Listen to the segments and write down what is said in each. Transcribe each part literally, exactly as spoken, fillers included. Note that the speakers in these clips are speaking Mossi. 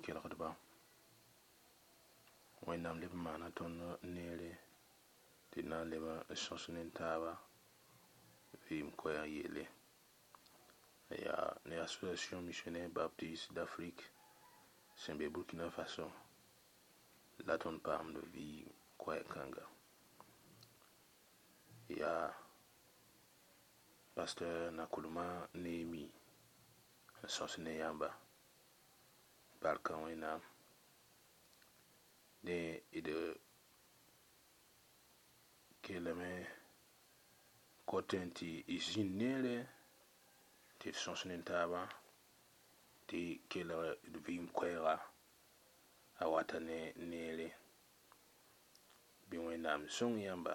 kelgdba. Wẽnnaam leb n maana tõnd neere tɩ d na n leb n sõs ne taaba vɩɩm koɛɛg yelle. Yaa ne Association Missionnaire Baptiste d'Afrique sẽn be Burkina Faso la tõnd paamd vɩɩm koɛɛg kãnga. Yaa pasteur Nakulma Neemi n sõs ne yãmba. Barka Wẽnnaam. Dẽ d kellame kotẽ tɩ y zĩnd neere tɩ d sõs ne taaba tɩ kelg d vɩɩm koɛɛga a wata ne neere. Bɩ Wẽnnaam sõng yãmba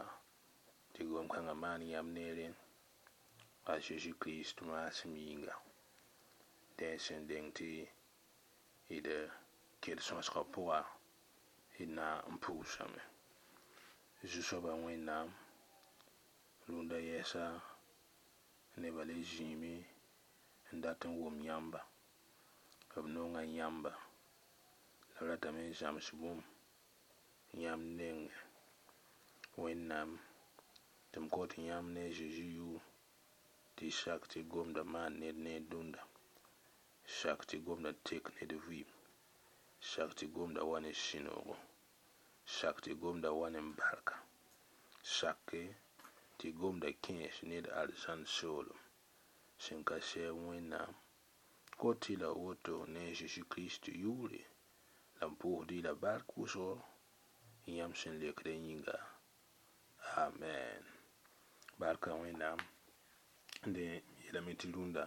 tɩ gom-kãngã maan yãmb neere a Zeezi Kirist maasem yĩnga. Dẽ sẽn deng tɩ d ket sõsgã pʋga d na n pʋʋsame. Zu-soabã Wẽnnaam rũndã yɛɛsa nebã le zĩime n dat n wʋm yãmba. B nonga yãmba la b ratame n zãms bũmb yãmb nengẽ. Wẽnnaam tɩ m kot yãmb ne a Zeezi yʋʋr tɩ y sak tɩ gomda maan ned neer dũnda. Sak tɩ gomda tek ned vɩɩm. Sak tɩ gomda wa ne sũ-noogo. Sak tɩ gomda wa ne barka. Sake tɩ gomda kẽes ned arzãn soolem sẽn ka sɛɛb Wẽnnaam kot-y la woto ne a Zeezi Kirist yʋʋre la m pʋʋsd-y la bark wʋsgo yãmb sẽn lekdã yĩnga. Amen. Barka Wẽnnaam. Dẽ yeelame tɩ rũndã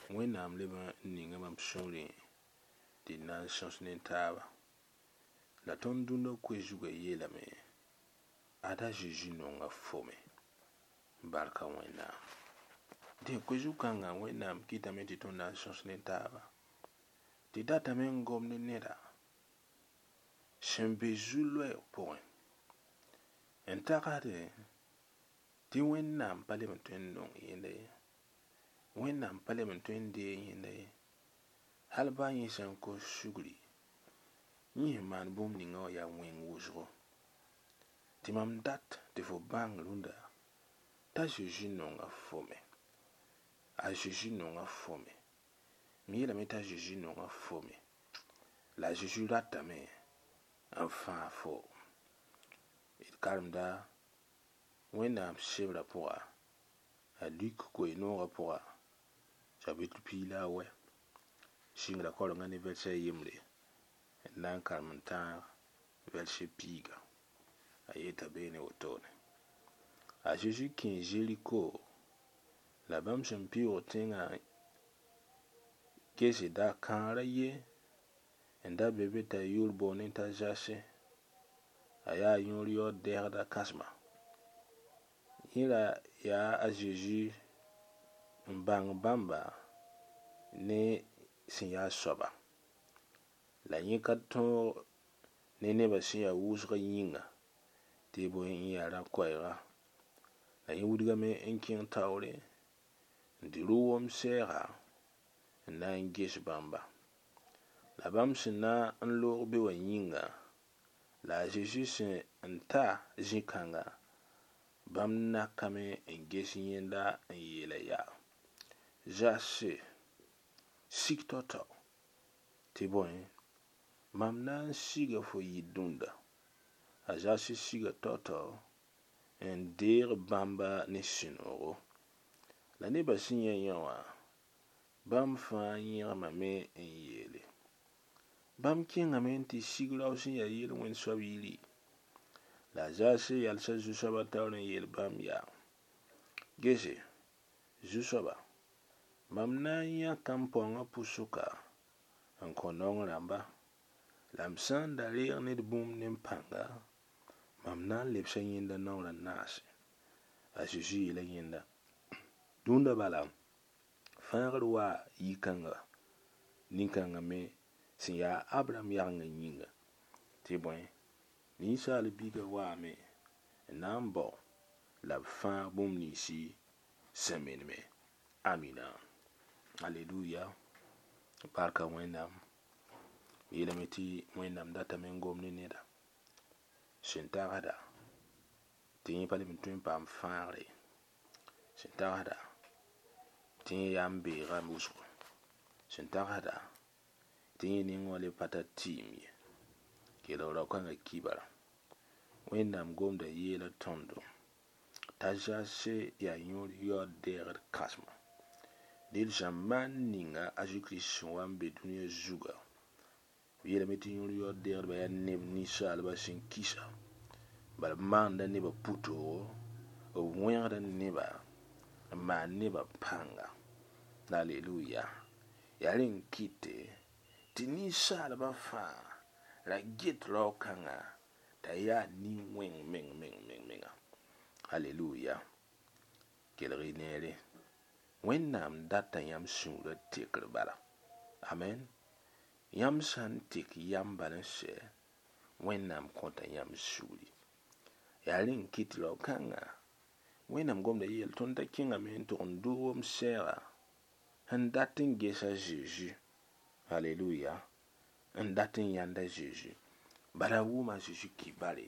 Wẽnnaam leb n ninga mam sũurẽ tɩ d na n sõs ne taaba. La tõnd dũnna koe zugã yeelame ada Zeezi nonga fo me. Barka Wẽnnaam. Dẽ koe zu-kãngã Wẽnnaam kɩtame tɩ tõnd na n sõs ne taaba. Tɩ datame n gom ne neda sẽn be zu-loɛɛg pʋgẽ n tagsdẽ tɩ Wẽnnaam pa leb n tõe n nong yẽnda ye. Wẽnnaam pa leb n tõe n deeg yẽnda ye. Hal baa yẽ sã n kos sugri, yẽ sẽn maan bũmb ninga wã yaa wẽng wʋsgo. Tɩ mam dat tɩ fo bãng rũndã t'a Zeezi nonga fo me. A Zeezi nonga fo me. M yeelame t'a Zeezi nonga fo me. La a Zeezi ratame n fãag fo. D karemda Wẽnnaam sebrã pʋga, a Luk koe-noogã pʋga, chapitre piig la a wɛ, sɩngrã kaorengã ne vɛrse a yembre n na n karem n tãag vɛrse piiga. A yeta beene wotone. A Zeezi kẽ Zeriko la bãmb sẽn pɩʋʋg tẽngã gesda kãar a ye n da be be t'a yʋʋr boondẽ t'a Zase. A yaa yõor yaood dɛsda kãsema. Yẽ ra yaa a Zeezi n bãng bãmba ne sẽn yaa soaba. La yẽ ka tõog ne nebã sẽn yaa wʋsgã yĩnga tɩ bõe n yaa rã-koɛɛga. La yẽ wilgame n kẽng taoore n tɩ rʋ wom-sɛɛga n na n ges bãmba. La bãmb sẽn na n loog be wã yĩnga la a Zeezi sẽn n ta zĩ-kãnga bãmb nakame n ges yẽnda n yeela yaa: Zase, sik tao-tao tɩ bõe mam na n siga fo yir dũnda. A Zase siga tao-tao n deeg bãmba ne sũ-noogo. La nebã sẽn yã yẽ wã bãmb fãa yẽgmame n yeele. Bãmb kẽngame n tɩ sig rao sẽn yaa yel-wẽnd soab yiri. La a Zase yalsa zu-soabã taoor n yeel bãmb yaa: Gese, zu-soaba, mam na n yãka m paoongã pʋsʋka n kõ naong rãmba. La m sã n da reeg ned bũmb ne m pãnga, mam na n lebsa yẽnda naoor a naase. A Zeezi yeela yẽnda: Dũnda bala, fãagr waa yi-kãnga nin-kãngã me sẽn yaa Abraham yagengã yĩnga. Tɩ bõe, ninsaal biigã waame n na n bao la b fãag bũmb ninsi sẽn meneme. Amina. Aleluya. Barka Wẽnnaam. Yeelame tɩ Wẽnnaam datame n gom ne neda sẽn tagsda tɩ yẽ pa leb n tõe n paam fãagre ye sẽn tagsda tɩ yẽ yaa n beega wʋsgo sẽn tagsda tɩ yẽ nengẽ wã le pa tar tɩɩm ye kelg rao-kãngã kibara Wẽnnaam gomda yeela tõndo t'a Zase yaa yõor yaood deegd kãsema del zãmbaan ninga a Zeezi-Kirist sẽn wa n be dũniyã zuga b yeelame tɩ yõor yaood deegdbã yaa neb ninsaalbã sẽn kisa bala b maanda nebã pʋtoogo b wẽgda neba n maan nebã pãnga aleluya yaa rẽ n kɩte tɩ ninsaalbã fãa ra get rao-kãngã t'a yaa nin-wẽng meng meng meng menga aleluya kelg y neere Wẽnnaam data yãmb sũurã tekr bala amen yãmb sã n tek yam bal n sɛ Wẽnnaam kõta yãmb sugri yaa rẽ n kɩt rao-kãngã Wẽnnaam gomda yeel tõnd t'a kẽngame n tʋg n doog m sɛɛga n dat n ges a Zeezi aleluya n dat n yãnd a Zeezi bala a wʋma a Zeezi kibare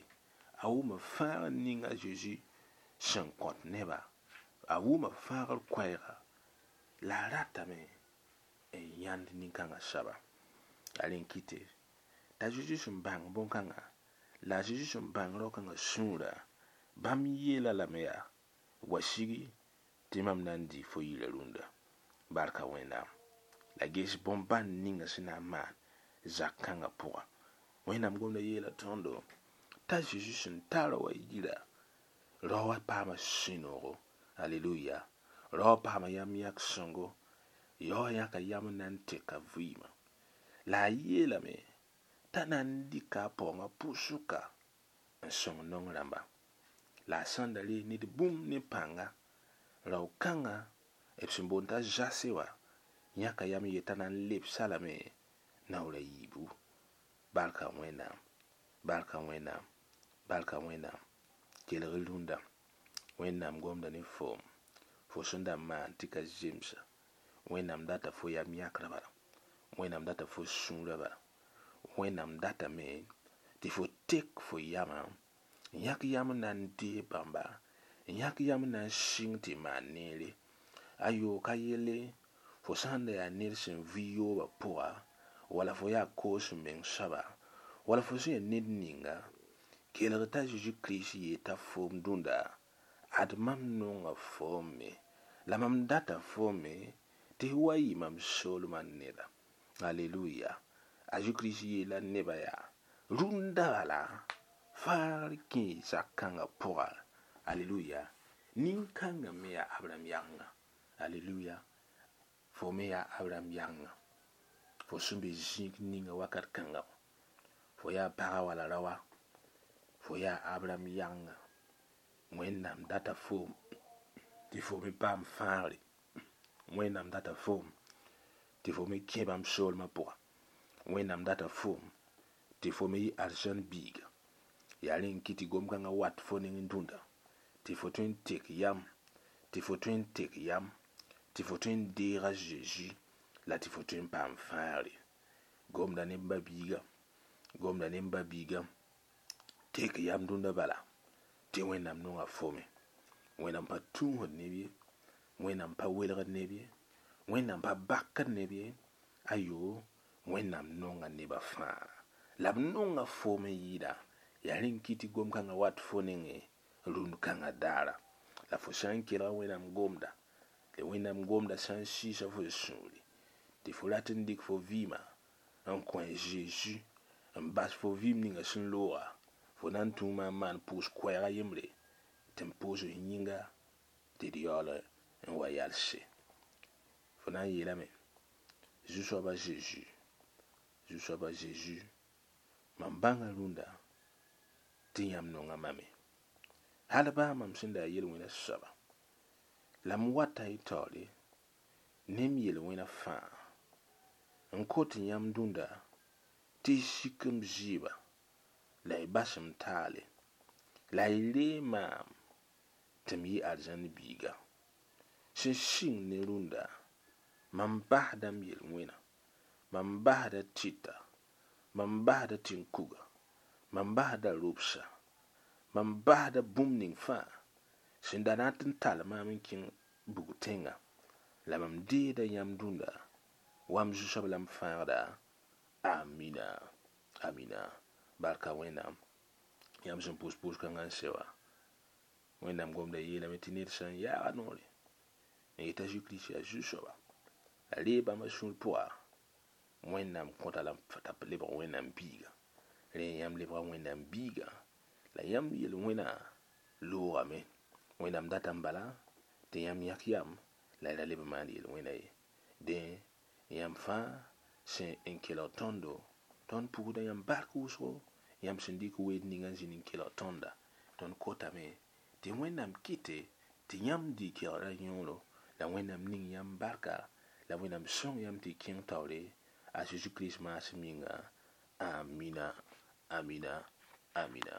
a wʋma fãagr ning a Zeezi sẽn kõt neba a wʋma fãagr koɛɛga la a ratame n yãnd nin-kãngã soaba yaa rẽ n kɩte t'a Zeezi sẽn bãng bõn-kãngã la a Zeezi sẽn bãng rao-kãngã sũurã bãmb yeela lame yaa wa sigi tɩ mam na n dɩ fo yirã rũndã barka Wẽnnaam la ges bõn-bãn ninga sẽn na n maan zak kãngã pʋga Wẽnnaam gomda yeela tõndo t'a Zeezi sẽn tar wa yira rao wã paama sũ-noogo aleluya rao wã paama yam yãk sõngo yao wã yãka yam n na n teka vɩɩmã la a yeelame t'a na n dɩka a paoongã pʋsʋka n sõng naong rãmba la a sãn da reeg ned bũmb ne pãnga rao-kãngã b sẽn boond t'a Zase wã yãka yam n yet t'a na n lebs-a lame naoor a yiibu barka Wẽnnaam barka Wẽnnaam barka Wẽnnaam kelg y rũndã Wẽnnaam gomda ne foom fo sẽn da maan tɩ ka zemsa Wẽnnaam data fo yam yãkrã bala Wẽnnaam data fo sũurã bala Wẽnnaam datame tɩ fo tek fo yamã n yãk yam n na n deeg bãmba n yãk yam n na n sɩng tɩ maan neere ayo ka yelle fo sã n da yaa ned sẽn vɩ yoobã pʋga wala fo yaa koos meng soaba wala fo sẽn yaa ned ninga kelg t'a Zeezi-Kirist yeta foom dũnda ad mam nonga foom me la mam data foom me tɩ f wa yɩ mam soolmã neda aleluya a Zeezi-Kirist yeela nebã yaa rũndã bala fãagr kẽ zak kãngã pʋga aleluya nin-kãngã me yaa Abraham yagenga aleluya fo me yaa Abraham yagenga fo sẽn be zĩig ninga wakat kãnga fo yaa paga wala raoa fo yaa Abraham yagenga Wẽnnaam data foom tɩ fo me paam fãagre Wẽnnaam data foom tɩ fo me kẽ bãmb soolmã pʋga Wẽnnaam data foom tɩ fo me yɩ arzãn biiga yaa rẽ n kɩ tɩ gom-kãngã wat fo neng dũnda tɩ fo tõe n tek yam tɩ fo tõe n tek yam tɩ fo tõe n deeg a Zeezi la tɩ fo tõe n paam fãagre gomda ne m ba-biiga gomda ne m ba-biiga tek yam dũnda bala tɩ Wẽnnaam nonga fo me Wẽnnaam pa tũusd neb ye Wẽnnaam pa welgd neb ye Wẽnnaam pa bakd neb ye ayo Wẽnnaam nonga nebã fãa la b nonga foom n yɩɩda yaa rẽ n kɩ tɩ gom-kãngã wat fo nengẽ rũnd kãngã daara la fo sã n kelga Wẽnnaam gomda tɩ Wẽnnaam gomda sã n sɩɩsa fo sũuri tɩ fo rat n dɩk fo vɩɩmã n kõ a Zeezi n bas fo vɩɩm ninga sẽn looga fo na n tũuma n maan pʋʋs koɛɛga yembre tɩ n pʋʋs f yĩnga tɩ d yaool n wa yalse fo na n yeelame Zu-soabã Zeezi Zu-soabã Zeezi mam bãnga rũndã tɩ yãmb nonga mame hal baa mam sẽn da yaa yel-wẽna soaba la m wata y taoore ne m yel-wẽna fãa n kot yãmb dũnda tɩ y sik m zɩɩba la y bas m taale la y ree maam tɩ m yɩ arzãn biiga sẽn sɩng ne rũndã mam basda m yel-wẽna mam basda tɩta Mam basda tẽn-kuga, mam basda robsa, mam basda bũmb ning fãa sẽn da na tɩ n tall maam n kẽng bug tẽnga la mam deeda yãmb dũnda wa m zu-soab la m fãagda. Amina, amina. Barka Wẽnnaam yãmb sẽn pʋs pʋʋs-kãngã n se wã. Wẽnnaam gomda yeelame tɩ ned sã n yaaga noore n yeta Zezi-Kirist yaa zu-soaba la reeg bãmba sũur pʋga, Wẽnnaam kõta la t'a lebg Wẽnnaam biiga. Rẽ yãmb lebga Wẽnnaam biiga la yãmb yel-wẽna loogame. Wẽnnaam data n bala tɩ yãmb yãk yam la y ra leb n maan yel-wẽna ye. Dẽ yãmb fãa sẽn n kelg tõndo, tõnd pugda yãmb bark wʋsgo, yãmb sẽn dɩk weed ninga n zĩnd n kelg tõnda. Tõnd kotame tɩ Wẽnnaam kɩte tɩ yãmb dɩ kelgra yõoro la Wẽnnaam ning yãmb barka la Wẽnnaam sõng yãmb tɩ y kẽng taoore a Zezi-Kirist maasem yĩnga. Amina, amina, amina.